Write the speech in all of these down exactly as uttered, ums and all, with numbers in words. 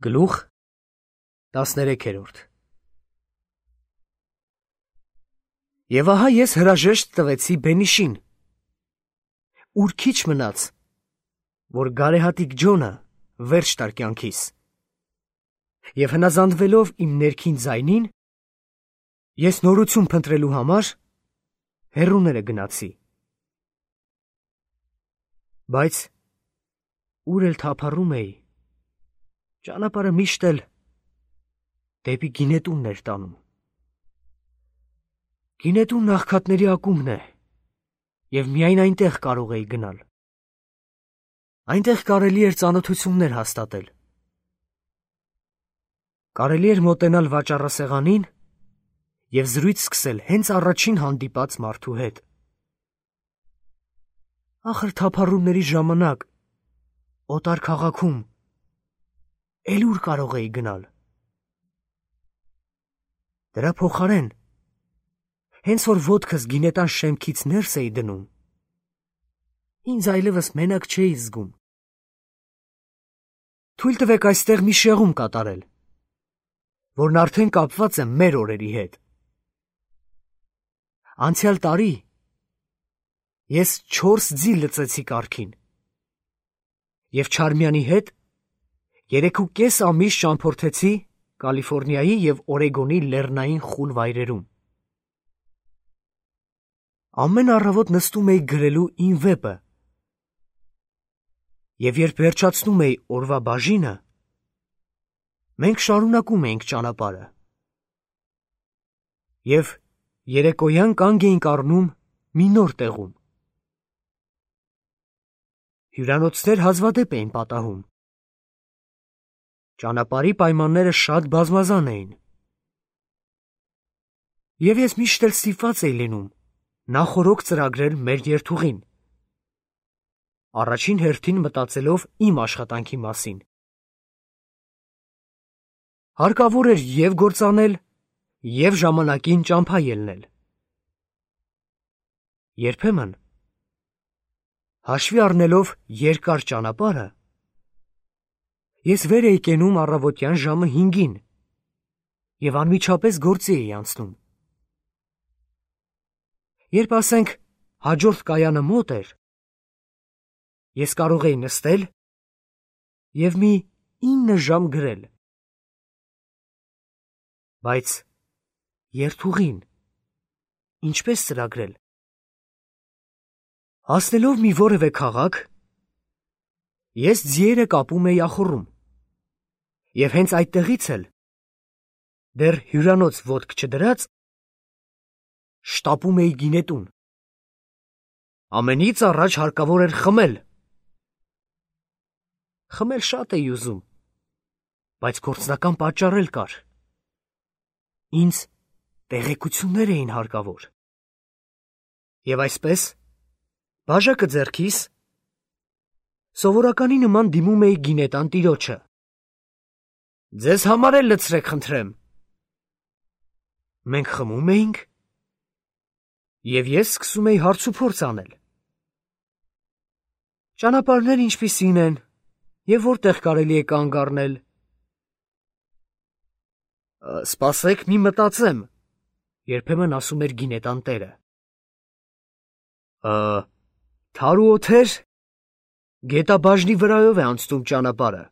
Գլուխ տասներեքերորդ Եվ ահա ես հրաժեշտ տվեցի Բենիշին, ուր քիչ մնաց, որ գարեհատիկ Ջոնը վերջ տար կյանքիս, և հնազանդվելով իմ ներքին ձայնին, ես նորություն փնտրելու համար հեռուները գնացի, բայց ուր էլ թափառում էի, ճանապարհը միշտ էլ դեպի գինետունն էր տանում։ Գինետունն աղքատների ակումբն է, և միայն այնտեղ կարող էի գնալ։ Այնտեղ կարելի էր ծանոթություններ հաստատել։ Կարելի էր մոտենալ վաճառասեղանին և զրույց սկսել հենց առաջին հանդիպած մարդու հետ։ Ախր թափառումների ժամանակ, օտար քաղաքում, էլ ուր կարող էի գնալ։ Դրա փոխարեն, հենց որ ոտքս գինետան շեմքից ներս էի դնում, ինձ այլևս մենակ չէի զգում։ Թույլ տվեք այստեղ մի շեղում կատարել, որն արդեն կապված է մեր օրերի հետ։ Անցյալ տարի ես չորս ձի լծեցի կառքին, և Չարմյանի հետ երեք ու կես ամիս ճամփորդեցի Կալիֆոռնիայի և Օրեգոնի լեռնային խուլ վայրերում։ Ամեն առավոտ նստում էի գրելու իմ վեպը, և երբ վերջացնում էի օրվա բաժինը, մենք շարունակում էինք ճանապարհը, և երեկոյան կանգ էինք առնում մի նոր տեղում։ Հյուրանոցներ հազվադեպ էին պատահում։ Ճանապարհի պայմանները շատ բազմազան էին, և ես միշտ էլ ստիպված էի լինում նախօրոք ծրագրել մեր երթուղին, առաջին հերթին մտածելով իմ աշխատանքի մասին։ Հարկավոր էր և գործանել, և ժամանակին ճամփա ելնել։ Երբեմն, հաշվի առնելով երկար ճանապարհը, ես վեր էի կենում առավոտյան ժամը հինգին և անմիջապես գործի էի անցնում։ Երբ, ասենք, հաջորդ կայանը մոտ էր, ես կարող էի նստել և մի ինը ժամ գրել։ Բայց երթուղին ինչպե՞ս ծրագրել։ Հասնելով մի որևէ քաղաք, ես ձիերը կապում էի ախոռում, և հենց այդտեղից էլ, դեռ հյուրանոց ոտք չդրած, շտապում էի գինետուն։ Ամենից առաջ հարկավոր էր խմել։ Խմել շատ էի ուզում, բայց գործնական պատճառ էլ կար։ Ինձ տեղեկություններ էին հարկավոր։ Եվ այսպես, բաժակը ձեռքիս, սովորականի նման դիմում էի գինետան տիրոջը։ «Ձեզ համար էլ լցրեք, խնդրեմ»։ Մենք խմում էինք, և ես սկսում էի հարցուփորձ անել։ Ճանապարհներ ինչպիսի՞ն են, և որտեղ կարելի է կանգ առնել։ «Սպասեք մի մտածեմ», երբեմն ասում էր գինետան տերը։ «Թար ու օդեր, գետաբաժնի վրայով է անցնում ճանապարհը։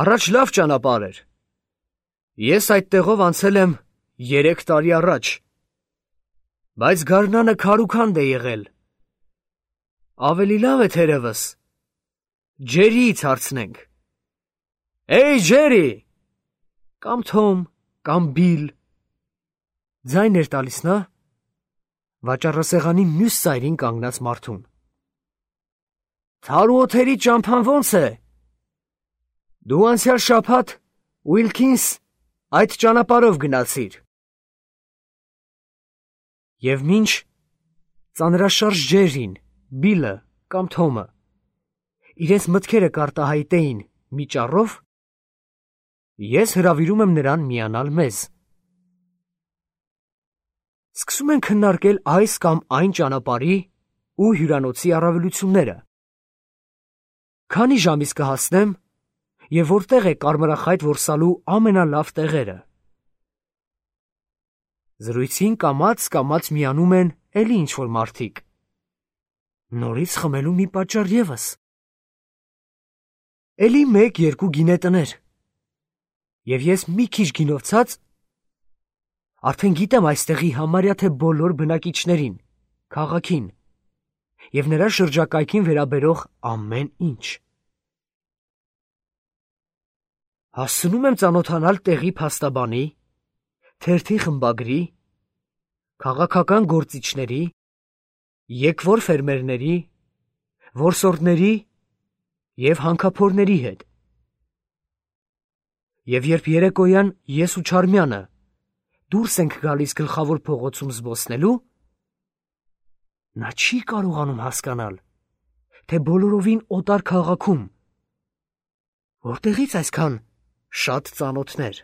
Առաջ լավ ճանապարհ էր։ Ես այդտեղով անցել եմ երեք տարի առաջ, բայց գարնանը քարուքանդ է եղել։ Ավելի լավ է թերևս Ջերիից հարցնենք։ Էյ, Ջերի, կամ Թոմ, կամ Բիլ», ձայն էր տալիս նա վաճառասեղանի մյուս ծայրին կանգնած մարդուն։ «Թար ու օդերի ճամփան ո՞նց է։ Դու անցյալ շաբաթ Ուիլքինս այդ ճանապարհով գնացիր»։ Եվ մինչ ծանրաշարժ Ջերին, Բիլը կամ Թոմը իրենց մտքերը կարտահայտեին մի ճառով, ես հրավիրում եմ նրան միանալ մեզ։ Սկսում ենք քննարկել այս կամ այն ճանապարհի ու հյուրանոցի առավելությունները։ Քանի ժամից կհասնեմ և որտեղ է կարմրախայտ որսալու ամենալավ տեղերը։ Զրույցին կամաց-կամաց միանում են էլի ինչ-որ մարդիկ։ Նորից խմելու մի պատճառ ևս։ Էլի մեկ-երկու գինետներ։ Եվ ես մի քիչ գինով ցած արդեն գիտեմ այստեղի համարյա թե բոլոր բնակիչներին, քաղաքին և նրա շրջակայքին վերաբերող ամեն ինչ։ Հասցնում եմ ծանոթանալ տեղի փաստաբանի, թերթի խմբագրի, քաղաքական գործիչների, եկվոր ֆերմերների, որսորդների և հանքափորների հետ։ Եվ երբ երեկոյան ես ու Չարմյանը դուրս ենք գալիս գլխավոր փողոցում զբոսնելու, նա չի կարողանում հասկանալ, թե բոլորովին օտար քաղաքում որտեղից այսքան շատ ծանոթներ։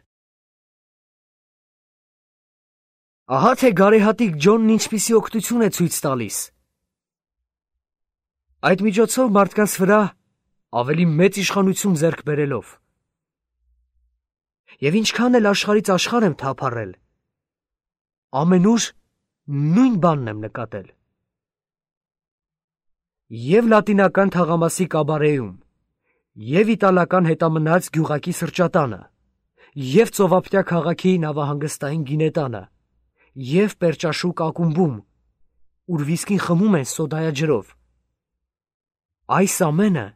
Ահա թե գարեհատիկ Ջոնն ինչպիսի օգնություն է ցույց տալիս։ Այդ միջոցով մարդկանց վրա ավելի մեծ իշխանություն ձեռք բերելով։ Եվ ինչքան էլ աշխարհից աշխարհ եմ թափառել, ամենուր նույն բանն եմ նկատել։ Եվ լատինական թաղամասի կաբարեում, և իտալական հետամնաց գյուղակի սրճատանը, և ծովափնյա քաղաքի նավահանգստային գինետանը, և Պերճաշուկ ակումբում, ուր վիսկին խմում են սոդայաջրով։ Այս ամենը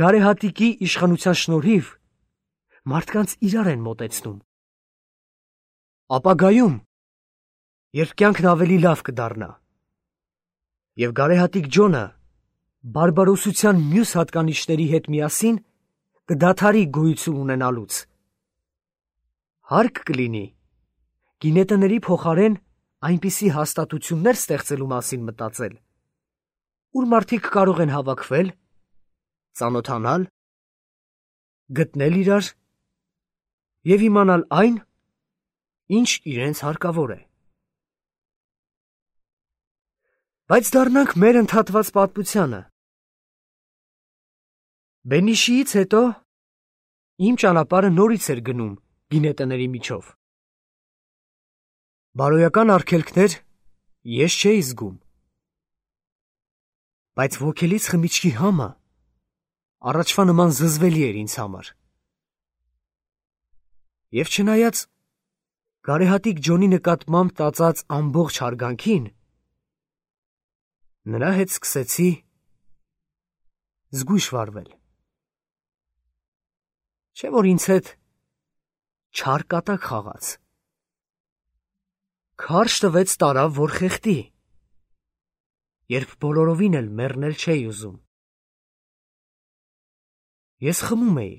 գարեհատիկի իշխանության շնորհիվ մարդկանց իրար են մոտեցնում։ Ապագայում, երբ կյանքն ավելի լավ կդառնա, և գարեհատիկ Ջոնը բարբարոսության մյուս հատկանիշների հետ միասին կդադարի գոյություն ունենալուց, հարկ կլինի գինետների փոխարեն այնպիսի հաստատություններ ստեղծելու մասին մտածել, ուր մարդիկ կարող են հավաքվել, ծանոթանալ, գտնել իրար և իմանալ այն, ինչ իրենց հարկավոր է։ Բայց դառնանք մեր ընդհատված պատմությանը։ Բենիշիից հետո իմ ճանապարհը նորից էր գնում գինետների միջով։ Բարոյական արգելքներ ես չէի զգում, բայց ոգելից խմիչքի համը առաջվա նման զզվելի էր ինձ համար։ Եվ չնայած գարեհատիկ Ջոնի նկատմամբ տածած ամբողջ հարգանքին, նրա հետ սկսեցի զգույշ վարվել։ Չէ՞ որ ինձ հետ չար կատակ խաղաց։ Քարշ տվեց տարավ, որ խեղդի, երբ բոլորովին էլ մեռնել չէի ուզում։ Ես խմում էի,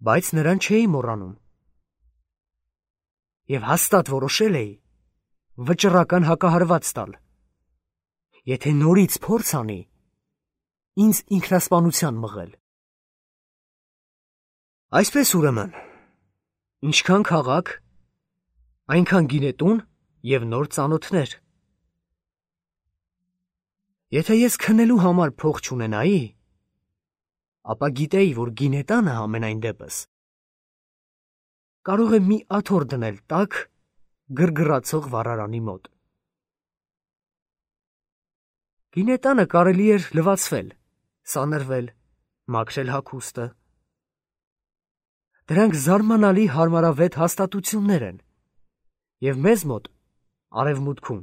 բայց նրան չէի մոռանում։ Եվ հաստատ որոշել էի վճռական հակահարված տալ, եթե նորից փորձ անի ինձ ինքնասպանության մղել։ Այսպես ուրեմն, ինչքան քաղաք, այնքան գինետուն և նոր ծանոթներ։ Եթե ես քնելու համար փող չունենայի, ապա գիտեի, որ գինետանը համենայն դեպս կարող է մի աթոռ դնել տաք գրգռացող վառարանի մոտ։ Գինետանը կարելի էր լվացվել, սանրվել, մաքրել հագուստը։ Դրանք զարմանալի հարմարավետ հաստատություններ են, և մեզ մոտ, արևմուտքում,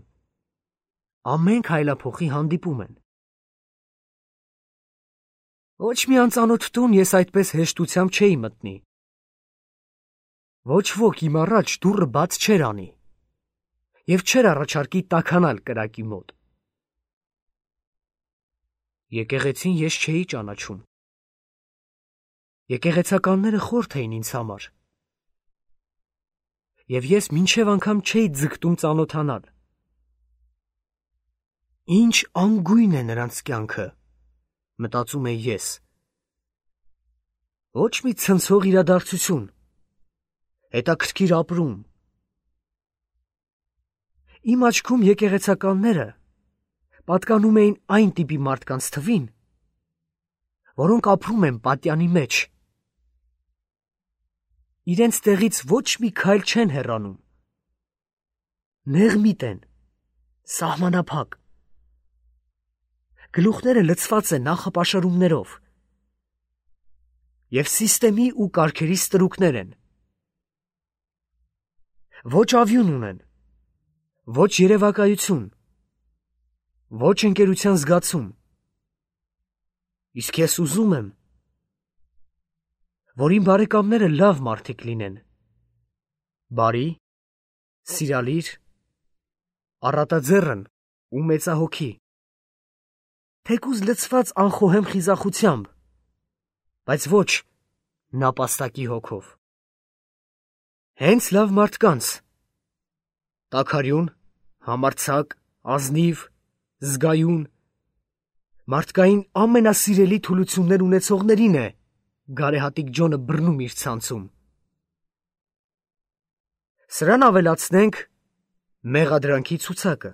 ամեն քայլափոխի հանդիպում են։ Ոչ մի անծանոթ տուն ես այդպես հեշտությամբ չէի մտնի։ Ոչ ոք իմ առաջ դուռը բաց չէր անի և չէր առաջարկի տաքանալ կրակի մոտ։ Եկեղեցին ես չէի ճանաչում։ Եկեղեցականները խորթ էին ինձ համար, և ես մինչև անգամ չէի ձգտում ծանոթանալ։ Ինչ անգույն է նրանց կյանքը, մտածում էի ես։ Ոչ մի ցնցող իրադարձություն, հետաքրքիր ապրում։ Իմ աչքում եկեղեցականները պատկանում էին այն տիպի մարդկանց թվին, որոնք ապրում են պատյանի մեջ։ Իրենց տեղից ոչ մի քայլ չեն հեռանում։ Նեղմիտ են, սահմանափակ։ Գլուխները լցված են նախապաշարումներով և սիստեմի ու կարգերի ստրուկներ են։ Ոչ ավյուն ունեն, ոչ երևակայություն, ոչ ընկերության զգացում։ Իսկ ես ուզում եմ, որ իմ բարեկամները լավ մարդիկ լինեն, բարի, սիրալիր, առատաձեռն ու մեծահոգի, թեկուզ լցված անխոհեմ խիզախությամբ, բայց ոչ նապաստակի հոգով։ Հենց լավ մարդկանց, տաքարյուն, համարձակ, ազնիվ, զգայուն, մարդկային ամենասիրելի թուլություններ ունեցողներին է գարեհատիկ Ջոնը բռնում իր ցանցում։ Սրան ավելացնենք մեղադրանքի ցուցակը։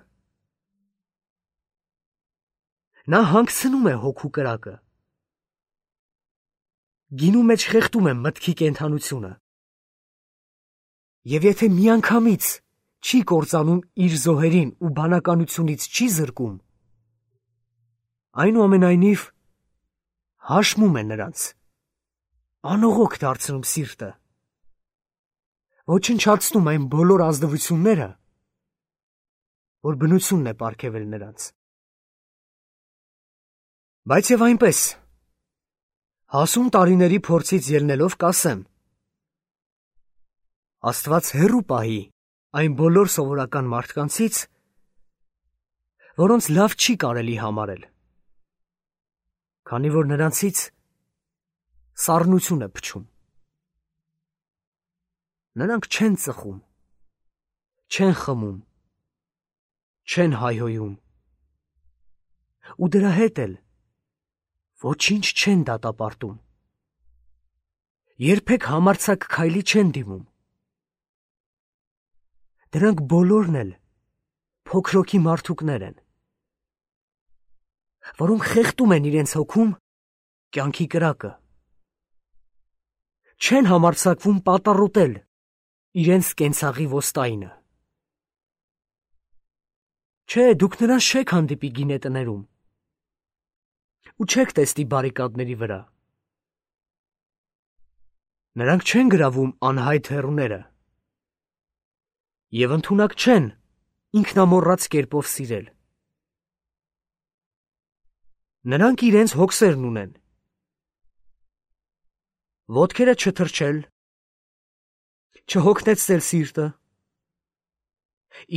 Նա հանգցնում է հոգու կրակը։ Գինու մեջ խեղդում է մտքի կենդանությունը։ Եվ եթե միանգամից չի կործանում իր զոհերին ու բանականությունից չի զրկում, այնուամենայնիվ հաշմում է նրանց, անողոք դարձնում սիրտը, ոչնչացնում այն բոլոր ազնվությունները, որ բնությունն է պարգևել նրանց։ Բայց և այնպես, հասուն տարիների փորձից ելնելով կասեմ, Աստված հեռու պահի այն բոլոր սովորական մարդկանցից, որոնց լավ չի կարելի համարել, քանի որ նրանցից սառնություն է փչում։ Նրանք չեն ծխում, չեն խմում, չեն հայհոյում, ու դրա հետ էլ ոչինչ չեն դատապարտում, երբեք համարձակ քայլի չեն դիմում։ Դրանք բոլորն էլ փոքրոքի մարդուկներ են, որոնք խեղդում են իրենց հոգում կյանքի կրակը, չեն համարձակվում պատառոտել իրենց կենցաղի ոստայինը։ Չէ, դուք նրանց չեք հանդիպի գինետներում ու չեք տեսնի բարիկադների վրա։ Նրանք չեն գրավում անհայտ հեռուները և ընդունակ չեն ինքնամոռաց կերպով սիրել։ Նրանք իրենց հոգսերն ունեն, ոտքերը չթրջել, չհոգնեցնել սիրտը,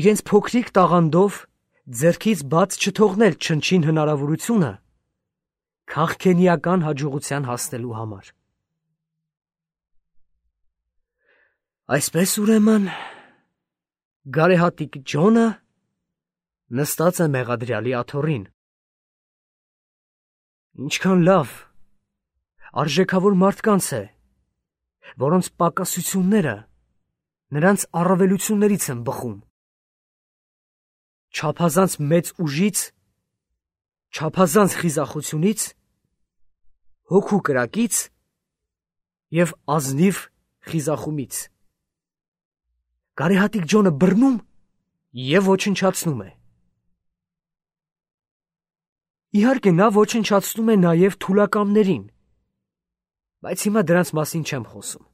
իրենց փոքրիկ տաղանդով ձեռքից բաց չթողնել չնչին հնարավորությունը քաղքենիական հաջողության հասնելու համար։ Այսպես ուրեմն, գարեհատիկ Ջոնը նստած է մեղադրյալի աթոռին։ Ինչքան լավ, արժեքավոր մարդկանց է, որոնց պակասությունները նրանց առավելություններից են բխում։ Չափազանց մեծ ուժից, չափազանց խիզախությունից, հոգու կրակից և ազնիվ խիզախումից։ Գարեհատիկ Ջոնը բռնում և ոչնչացնում է։ Իհարկե, նա ոչնչացնում է նաև թուլակամներին, բայց հիմա դրանց մասին չեմ խոսում։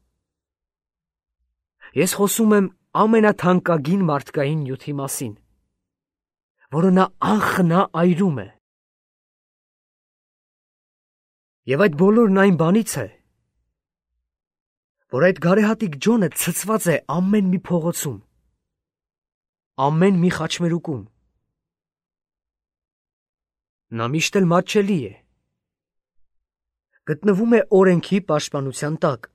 Ես խոսում եմ ամենաթանկագին մարդկային նյութի մասին, որը նա անխնա այրում է։ Եվ այդ բոլորն այն բանից է, որ այդ գարեհատիկ Ջոնը ցցված է ամեն մի փողոցում, ամեն մի խաչմերուկում։ Նա միշտ էլ մատչելի է, գտնվում է օրենքի պաշտպանության տակ։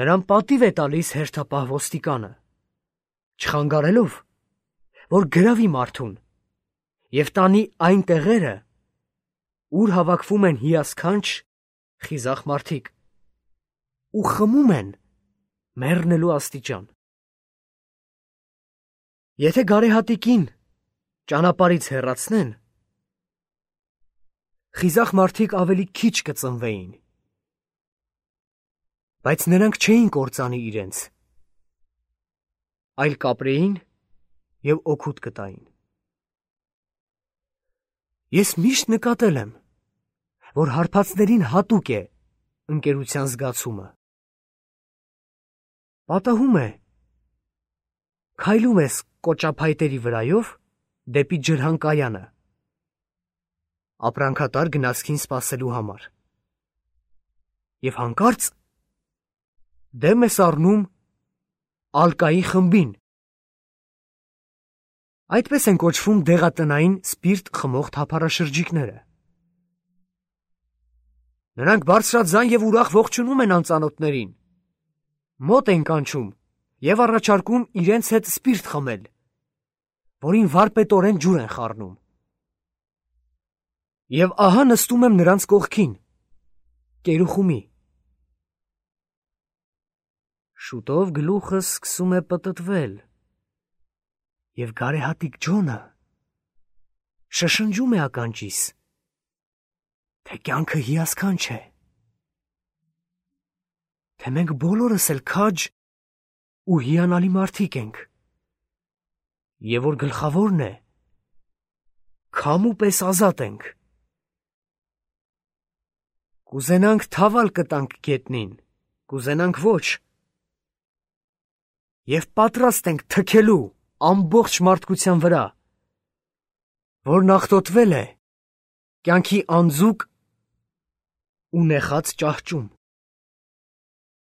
Նրան պատիվ է տալիս հերթապահ ոստիկանը, չխանգարելով, որ գրավի մարդուն և տանի այն տեղերը, ուր հավաքվում են հիասքանչ խիզախ մարդիկ ու խմում են մեռնելու աստիճան։ Եթե գարեհատիկին ճանապարհից հեռացնեն, խիզախ մարդիկ ավելի քիչ կծնվեին, բայց նրանք չէին կործանի իրենց, այլ կապրեին և օգուտ կտային։ Ես միշտ նկատել եմ, որ հարբածներին հատուկ է ընկերության զգացումը։ Պատահում է, քայլում ես կոճափայտերի վրայով դեպի ջրհանկայանը, ապրանքատար գնացքին սպասելու համար, և հանկարծ դեմ ես առնում ալկայի խմբին։ Այդպես են կոչվում դեղատնային սպիրտ խմող թափառաշրջիկները։ Նրանք բարձրաձայն և ուրախ ողջունում են անծանոթներին, մոտ են կանչում և առաջարկում իրենց հետ սպիրտ խմել, որին վարպետորեն ջուր են խառնում։ Եվ ահա նստում եմ նրանց կողքին, կերուխումի։ Շուտով գլուխս սկսում է պտտվել, և գարեհատիկ Ջոնը շշնջում է ականջիս, թե կյանքը հիասքանչ է, թե մենք բոլորս էլ քաջ ու հիանալի մարդիկ ենք, և որ գլխավորն է, քամու պես ազատ ենք։ Կուզենանք թավալ կտանք գետնին, կուզենանք ոչ, և պատրաստ ենք թքելու ամբողջ մարդկության վրա, որն աղտոտվել է կյանքի անձուկ ու նեխած ճահճում։